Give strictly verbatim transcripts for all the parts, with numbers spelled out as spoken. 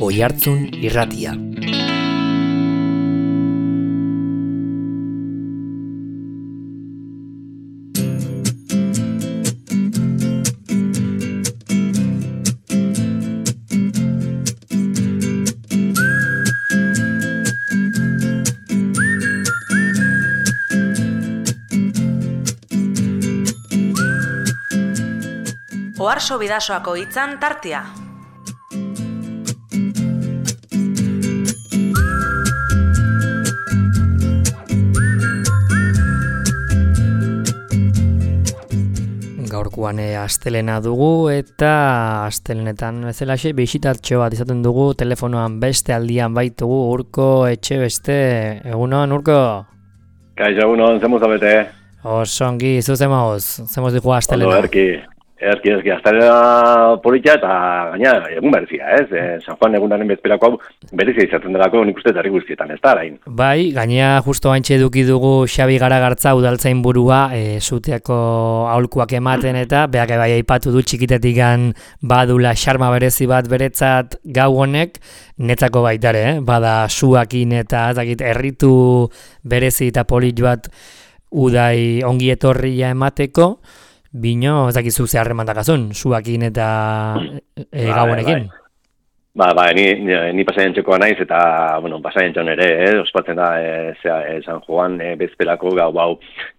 Oihartzun irratia. Oharso Bidasoako hitzan tartea. Gaurkoan astelena dugu eta astelenetan bezalaxe bisitatxo bat izaten dugu, telefonoan beste aldian baitugu Urko Etxebeste. Egunon, Urko? Kaixo, egunon, zemuz abete? Osongi, zu zemoz, zemoz digu astelena. Ondo, erki, erki, erki, astelena politia eta gaina egun berezia, ez? E, San Juan egunaren bezperako hau berezia izaten delako nik uste herri guztietan, ez da, arain? Bai, gaina justo haintxe eduki dugu Xabi Garagartza udaltzain burua, e, zuteako aholkuak ematen eta beak bai aipatu du txikitetikan badula xarma berezi bat beretzat gau honek, netzako baitare, eh? Bada suakin eta ezakit erritu berezi eta polit bat udai ongi etorria emateko, bino ezakizu ze harremandakazun, suakin eta e, gau honekin. Ba, ba, ni, ni, ni pasaien txekoa naiz eta, bueno, pasaien txon ere, eh, ospatzen da, e, zea, e, San Juan e, bezpelako gau, bau,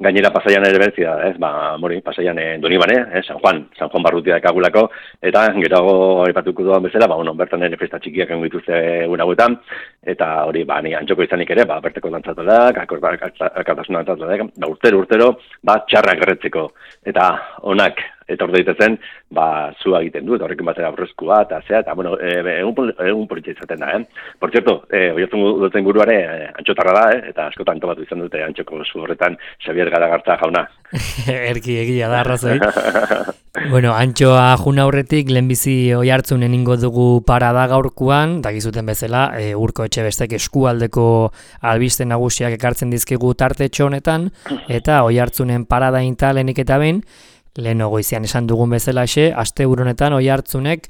gainera pasaian ere bertzia, ez, ba, mori, pasaian e, doni bane, eh, San Juan, San Juan barrutia ekagulako, eta gero aipatuko duan bezala, ba, bueno, bertan ere festa txikiak engo dituzte egun hauetan, eta hori, ba, ni antxoko izanik ere, ba, berteko dantzatolak, akartasuna dantzatolak, ba, urtero, urtero, ba, txarrak erretzeko, eta onak, etor daitezen, ba, zua egiten du, eta horrekin batera aurrezkua, eta zea, eta, bueno, e, egun, egun politxe izaten da, eh? Por cierto, e, oiatzen duten guruare, e, antxotarra da, eh? Eta askotan topatu izan dute antxoko zu horretan Xabier Garagartza jauna. Erki egia da, arrazoi. Bueno, antxoa juna aurretik, lehenbizi Oihartzunen ingo dugu parada gaurkuan, dakizuten bezala, e, Urko Etxebestek eskualdeko albiste nagusiak ekartzen dizkigu tartetxo honetan, eta Oihartzunen parada inta lehenik eta behin, leheno goizian esan dugun bezalaxe, asteburu honetan Oihartzunek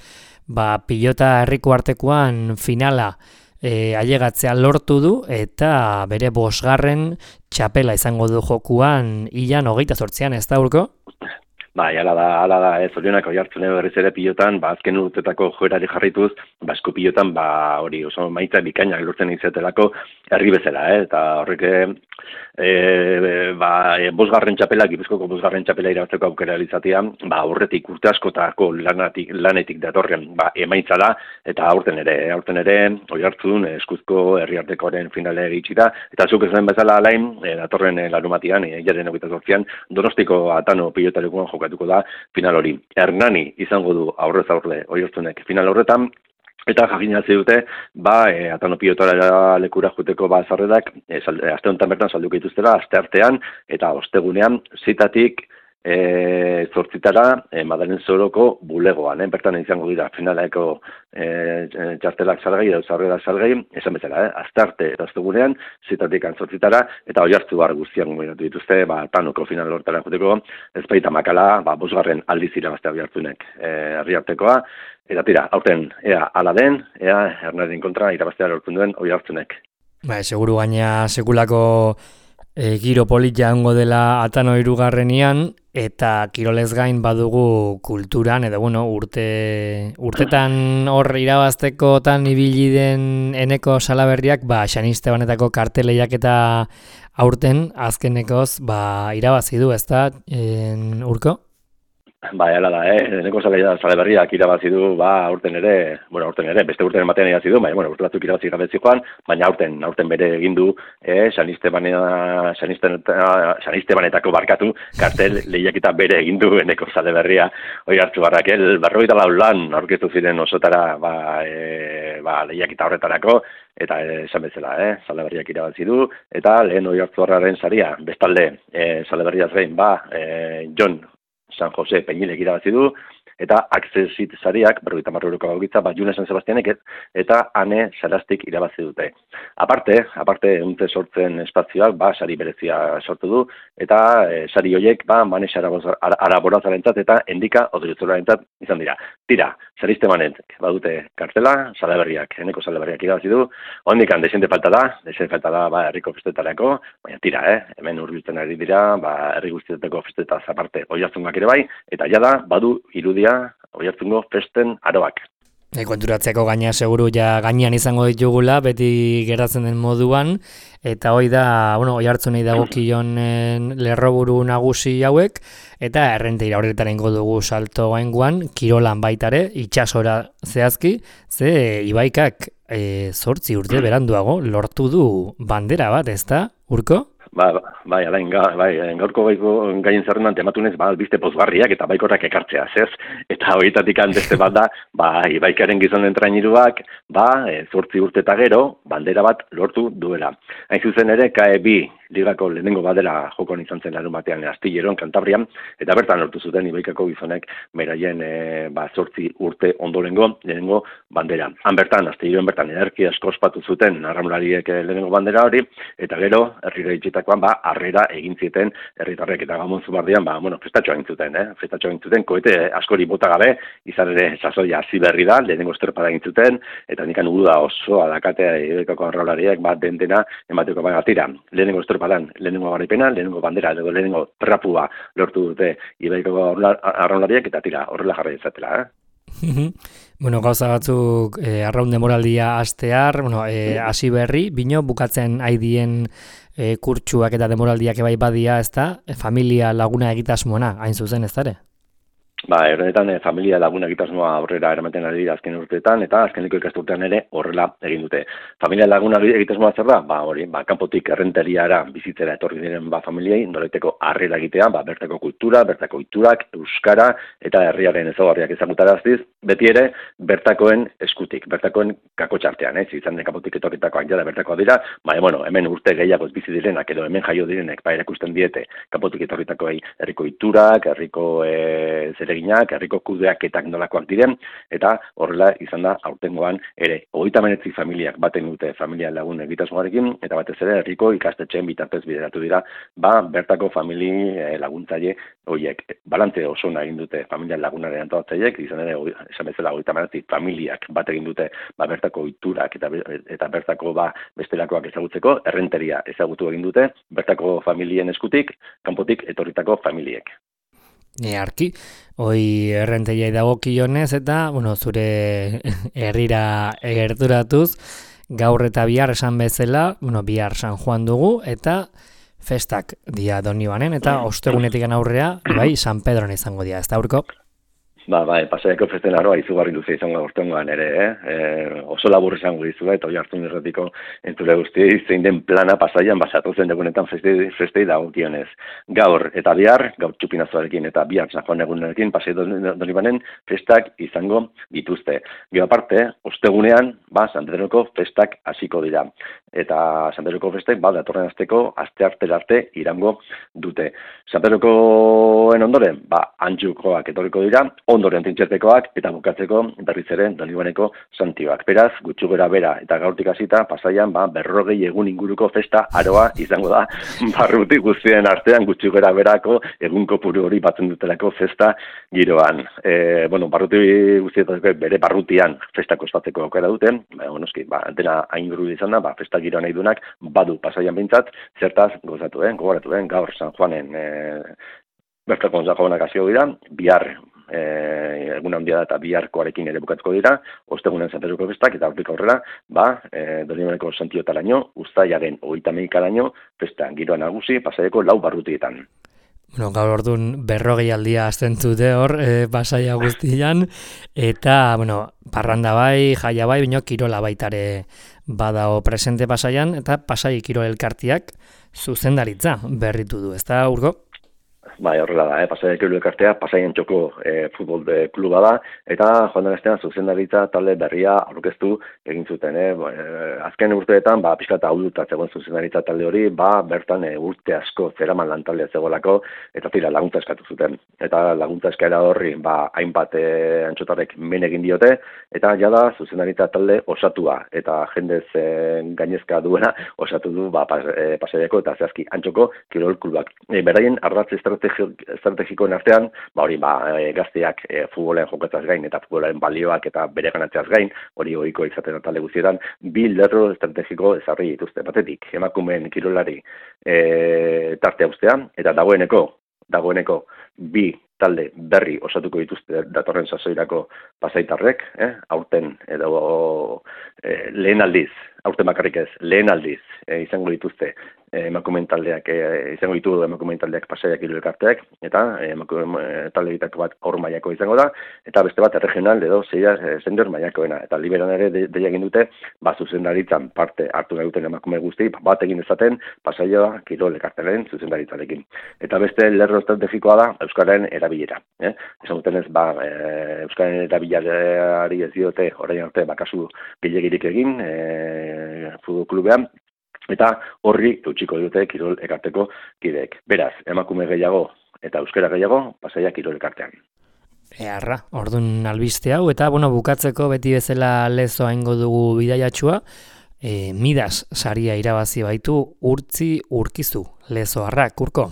ba, pilota herriko artekoan finala e, ailegatzea lortu du eta bere bosgarren txapela izango du jokuan ilan hogeita zortzian, ez da, Urko? Bai, ala da, ala da, ez Orionak Oihartzune berriz ere pilotan, ba, azken urtetako joerari jarrituz, ba, esku pilotan, ba, hori oso maitza bikainak lortzen izetelako herri bezala, eh? Eta horrek, e, ba, e, bosgarren txapela, Gipuzkoako bosgarren txapela irabazteko aukera izatea, ba, aurretik urte askotako lanatik, lanetik datorren, ba, emaitza da, eta aurten ere, aurten ere, Oihartzun eskuzko herriartekoaren finale egitsi da, eta zuk esan bezala alain, e, datorren e, larumatian, e, jaren hogeita zortzian, Donostiko Atano pilotalekuan jokatu da final hori. Hernani izango du aurrez aurre Oihartzunek final horretan, eta jakinazi dute, ba, e, Atano pilotara lekura juteko ba zarredak, e, aste honetan bertan salduko dituztela, aste artean, eta ostegunean, zitatik, E, zortzitara e, Madalen Zoroko bulegoan, eh? Bertan izango dira finalaeko e, txartelak salgai, edo zarrerak salgai, esan bezala, eh? Astarte eta ostegunean, zitatik antzortzitara, eta Oihartzu bar guztian gomenatu dituzte, ba, Tanoko final hortara juteko, ezpaita makala, ba, bosgarren aldiz irabaztea Oihartzunek e, herriartekoa, eta tira, aurten, ea ala den, ea Hernanien kontra irabaztea lortzen duen Oihartzunek. Ba, seguru gaina sekulako e, giro politia ongo dela Atano hirugarrenian, eta kirolez gain badugu kulturan, edo bueno, urte, urtetan hor irabaztekotan ibili den eneko salaberriak, ba, Xanistebanetako karteleiak eta aurten azkenekoz ba, irabazi du, ezta, en, Urko? Bai, ala da, eh? Eneko salaberriak irabazi du, ba, aurten ere, bueno, aurten ere, beste urten ematen irabazi du, baina, bueno, urte batzuk irabazi gabetzi joan, baina aurten, aurten bere egin du, eh, Xanistebanetako barkatu, kartel lehiaketa bere egin du Eneko salaberria, Oihartzu barrak, el berrogeita lau lan aurkeztu ziren osotara, ba, e, ba, lehiaketa horretarako, eta esan bezala, eh, salaberriak irabazi du, eta lehen Oihartzuarraren saria, bestalde, eh, salaberriaz gain, ba, eh, Jon San Jose Peñilek irabazi du, eta Accessit sariak, berrogeita hamar euroko gogitza, ba, June San Sebastianek eta Ane Sarastik irabazi dute. Aparte, aparte, untze sortzen espazioak, ba, sari berezia sortu du, eta e, sari horiek, ba, Manes Araborazarentzat eta Endika Odriozorarentzat izan dira. Tira, sariste manetek, badute kartela, salaberriak, eneko salaberriak irabazi du, hondikan desente falta da, desente falta da, ba, herriko festetarako, baina tira, eh, hemen hurbiltzen ari dira, ba, herri guztietako festetaz aparte, Oiartzungak ere bai, eta jada, badu irudia, Oiartzungo festen aroak. E, konturatzeako gaina seguru ja gainean izango ditugula, beti geratzen den moduan, eta hoi da, bueno, Oiartzunei dagokion lerroburu nagusi hauek, eta errenteira horretaren dugu salto gainguan, kirolan baitare, itsasora zehazki, ze Ibaikak e, zortzi urte beranduago lortu du bandera bat, ezta, Urko? Ba, bai, alain, ga, bai, gaurko gaien zerrendan tematunez, ba, albiste pozgarriak eta baikorrak ekartzea, zez? Eta horietatik beste bat da, ba, Ibaikaren gizonen trainiruak, ba, zortzi urte eta gero, bandera bat lortu duela. Hain zuzen ere, K E bi ligako lehenengo badera jokon izan zen larun batean Astilleron, Kantabrian, eta bertan lortu zuten Ibaikako gizonek beraien e, ba, zortzi urte ondorengo lehenengo bandera. Han bertan, Astilleron bertan, ederki asko ospatu zuten arraunlariek lehenengo bandera hori, eta gero, herrira itxitakoan, ba, harrera egin zieten herritarrek eta Gamon Zumardian, ba, bueno, festatxoa egin zuten, eh? Festatxoa egin zuten, koete askori bota gabe, izan ere sasoia hasi berri da, lehenengo estropada egin zuten, eta nikan uda oso adakatea Ibaikako arraunlariek, ba, den dena emateko baina tira. Lehenengo estropadan, lehenengo garaipena, lehenengo bandera, edo lehenengo trapua lortu dute Ibaikako arraunlariek, eta tira, horrela jarri izatela, eh? Bueno, gauza batzuk eh, arraun demoraldia hastear, bueno, eh, hasi berri, bino bukatzen haidien eh, kurtsuak eta demoraldiak ebai badia, ez da, e, familia laguna egitasmoena, hain zuzen ez dare? Ba, errenetan, e, familia laguna egitasmoa aurrera eramaten ari dira azken urteetan, eta azkeneko ikasturtean ere horrela egin dute. Familia laguna egitasmoa zer da? Ba, hori, ba, kanpotik errenteriara bizitzera etorri diren ba, familiei, noraiteko harrera egitea, ba, bertako kultura, bertako iturak, euskara, eta herriaren ezaugarriak ezagutaraztiz, beti ere, bertakoen eskutik, bertakoen kakotxartean, ez, izan kanpotik etorritako jada bertakoa dira, ba, e, bueno, hemen urte gehiago bizi direnak, edo hemen jaio direnek, ba, erakusten diete, kanpotik etorritakoei herriko iturak, herriko e, zereginak, herriko kudeaketak nolakoak diren, eta horrela izan da aurtengoan ere. Hogeita hemeretzi familiak baten dute familia lagun egitasmoarekin, eta batez ere herriko ikastetxeen bitartez bideratu dira, ba, bertako famili laguntzaile horiek. Balantze oso egin dute familia lagunaren antolatzaileek, izan ere, esan bezala hogeita hemeretzi familiak bat egin dute, ba, bertako iturak eta, eta bertako ba, bestelakoak ezagutzeko, errenteria ezagutu egin dute, bertako familien eskutik, kanpotik etorritako familiek. Earki, hoi errenteiai dagokionez eta, bueno, zure herrira gerturatuz, gaur eta bihar esan bezala, bueno, bihar San Juan dugu, eta festak dia Donibane, eta ostegunetik aurrea, bai, San Pedron izango dia, ez da, Urko? Ba, bai, pasaiako festen aroa izugarri luze izango aurtengoan ere, eh? E, oso labur izango dizu, eta hori hartu nirretiko entzule guztiei zein den plana pasaian basatu zen egunetan festei, festei dagokionez. Gaur eta bihar, gaur txupinazoarekin eta bihar San Juan egunerekin pasai Donibanen festak izango dituzte. Gero aparte, ostegunean, ba, San Pedroko festak hasiko dira. Eta San Pedroko festek, ba, datorren asteko aste arte arte irango dute. San Pedrokoen ondoren, ba, antxukoak etorriko dira, ondoren tintxertekoak eta bukatzeko berriz ere Donibaneko santioak. Beraz, gutxu gora bera eta gaurtik hasita pasaian ba, berrogei egun inguruko festa aroa izango da barruti guztien artean gutxu gora berako egun kopuru hori batzen dutelako festa giroan. E, bueno, barruti guztietako bere barrutian festako ospatzeko aukera duten, ba, onoski, ba, dena hain guru izan da, ba, festa giroan nahi dunak badu pasaian bintzat, zertaz gozatu, eh? Gogoratu, eh? Gaur San Juanen e, bertako San Juanak hasiko dira, bihar E, egun handia da eta biharkoarekin ere bukatuko dira, ostegunen San Pedroko festak eta hortik aurrera, ba, e, Donibaneko santiotaraino, uztailaren hogeita hamaikaraino festa giroa nagusi pasaiako lau barrutietan. Bueno, gaur orduan berrogei aldia azten zute hor, e, pasaia guztian, eta, bueno, parranda bai, jaia bai, bino kirola baitare badao presente pasaian, eta pasai kirol elkartiak zuzendaritza berritu du, ez da, Urko? Bai, horrela da, eh? Pasaiak elkartea, Pasaien txoko eh, futbol de kluba da, eta joan den astean zuzendaritza talde berria aurkeztu egin zuten. Eh? Ba, eh, azken urteetan, ba, pixka eta ahulduta zegoen zuzendaritza talde hori, ba, bertan eh, urte asko zeraman lantaldea zegoelako, eta tira laguntza eskatu zuten. Eta laguntza eskaera horri, ba, hainbat eh, antxotarek men egin diote, eta jada zuzendaritza talde osatua, eta jendez eh, gainezka duena osatu du ba, pas, eh, Pasaiako eta zehazki antxoko kirol klubak. E, beraien ardatz estrategikoen artean, ba hori ba, e, gazteak e, futbolean jokatzaz gain eta futbolaren balioak eta bere ganatzeaz gain, hori ohiko izaten talde guztietan, bi lerro estrategiko ezarri dituzte. Batetik, emakumeen kirolari e, tartea ustean, eta dagoeneko, dagoeneko bi talde berri osatuko dituzte datorren sasoirako pasaitarrek, eh? aurten edo e, lehen aldiz, aurten bakarrik ez, lehen aldiz e, izango dituzte e, emakumeen taldeak, e, izango ditu emakumeen taldeak Pasaiak hiru elkarteak, eta e, emakumeen taldeetako bat aur mailako izango da, eta beste bat regional edo zeia e, senior mailakoena, eta liberan ere de, deia egin dute, ba zuzendaritzan parte hartu nahi duten emakume guzti, bat egin dezaten Pasaia kirol elkartearen zuzendaritzarekin. Eta beste lerro estrategikoa da Euskararen erabilera. Eh? Esan duten ez, ba, e, Euskararen erabilerari ez diote orain arte bakasu gehiagirik egin e, futbol klubean, eta horri eutxiko dute kirol ekarteko kideek. Beraz, emakume gehiago eta euskara gehiago Pasaia kirol elkartean. Earra, ordun albiste hau, eta bueno, bukatzeko beti bezala lezo aingo dugu bidaiatxua, e, Midas saria irabazi baitu Urtzi Urkizu, lezoarrak, Urko.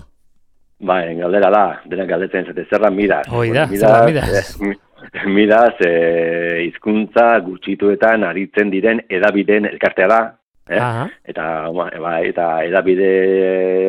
Ba, galdera da, denak galdetzen zate, zerra Midas. Hoi da, zerra Midas. Eh, Midas, eh, hizkuntza gutxituetan aritzen diren edabideen elkartea da, eh? eta, ba, eta edabide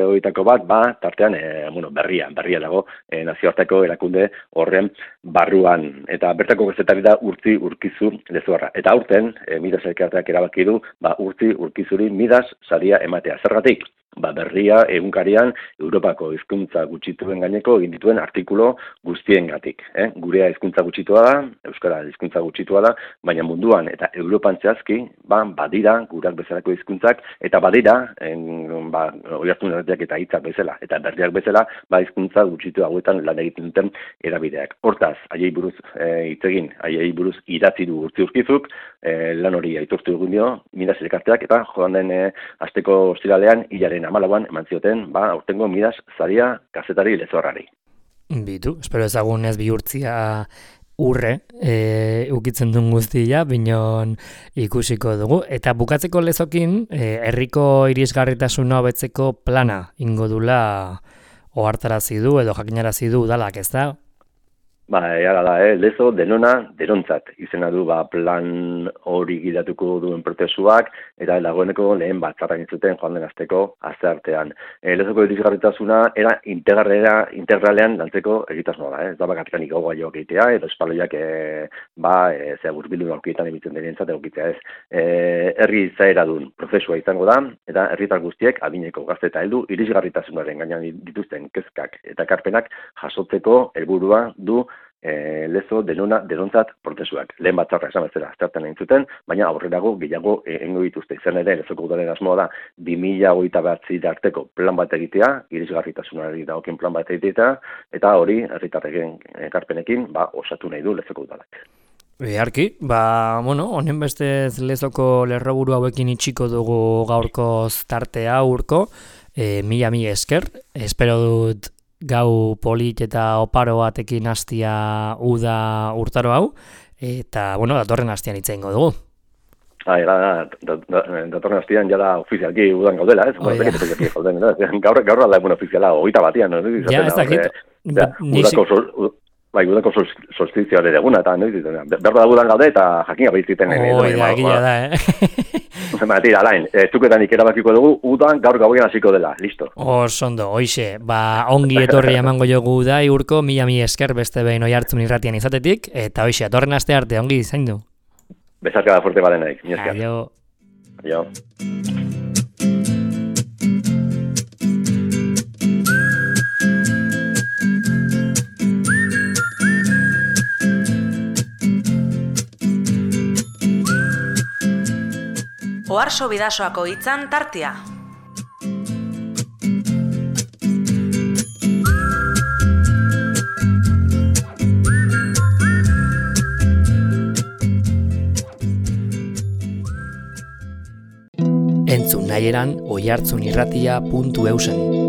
horietako bat, ba, tartean, eh, bueno, berria, berria dago, eh, nazioarteko erakunde horren barruan, eta bertako gazetari da Urtzi Urkizu lezoarra. Eta aurten, eh, Midas elkarteak erabaki du, ba, Urtzi Urkizuri Midas saria ematea. Zergatik? Ba, berria egunkarian Europako hizkuntza gutxituen gaineko egin dituen artikulo guztiengatik. Eh? Gurea hizkuntza gutxitua da, euskara hizkuntza gutxitua da, baina munduan eta Europan zehazki, ba, badira gurak bezalako hizkuntzak eta badira, en, ba, oihartzun erretiak eta hitzak bezala, eta berriak bezala, ba, hizkuntza gutxitu hauetan lan egiten duten erabideak. Hortaz, haiei buruz hitz e, egin, haiei buruz idatzi du Urtzi Urkizuk, e, lan hori aitortu egun dio, Midas elkarteak, eta joan den e, asteko ostiralean hilaren amalauan eman zioten, ba, aurtengo Midas saria kazetari lezoarrari. Bitu, espero ezagun ez bihurtzia urre e, ukitzen duen guztia, binon ikusiko dugu. Eta bukatzeko lezokin, e, herriko irisgarritasuna hobetzeko plana ingo dula ohartarazi du edo jakinarazi du udalak, ez da? Ba, ehala da, eh? Lezo denona derontzat izena du ba, plan hori gidatuko duen prozesuak, eta dagoeneko lehen batzarrak zuten joan den asteko asteartean. E, lezoko irisgarritasuna era integralera, integralean lantzeko egitasmoa da, eh? Ez da bakarrik gogoa joak egitea, edo espaloiak e, ba, e, zea burbildu aurkietan emitzen denientzat egokitzea ez. E, herri izaera duen prozesua izango da, eta herritar guztiek adineko gazte eta heldu irisgarritasunaren gainean dituzten kezkak eta ekarpenak jasotzeko helburua du E, lezo denona denontzat prozesuak. Lehen batzarra esan bezala aztertzen egin zuten, baina aurrerago gehiago egingo dituzte. Izan ere, lezoko udalen asmoa da bi mila hogeita bederatzi arteko plan bat egitea, irisgarritasunari dagokien plan bat egitea, eta hori herritarren ekarpenekin ba, osatu nahi du lezoko udalak. Beharki, ba, bueno, honen bestez lezoko lerroburu hauekin itxiko dugu gaurko tartea Urko, e, mila mila esker, espero dut gau polit eta oparo batekin hastia uda urtaro hau, eta, bueno, datorren hastian hitz egingo dugu. Ah, era, da, da, datorren hastian jada ofizialki udan gaudela, ez? Oh, ja. Gaur, gaur alda egun ofiziala, hogeita batian, no? Ja, ez dakit. Udako sol, bai, udako sol, solstizioa ere eguna, eta, no? Behar da udan gaude, eta jakin gabeiziten. Oi, da, egia da, eh? Ba, tira, alain, zuketan ikerabakiko dugu, udan gaur gauean hasiko dela, listo. Osondo, hoixe, ba, ongi etorri emango jogu da, Urko, mila mila esker beste behin Oihartzun irratian izatetik, eta hoixe, atorren aste arte, ongi zaindu. Bezarka da fuerte balen nahi, mi esker. Aio. Aio. Oharso Bidasoako hitzan tartea. entzun nahieran oihartzunirratia puntu eusen.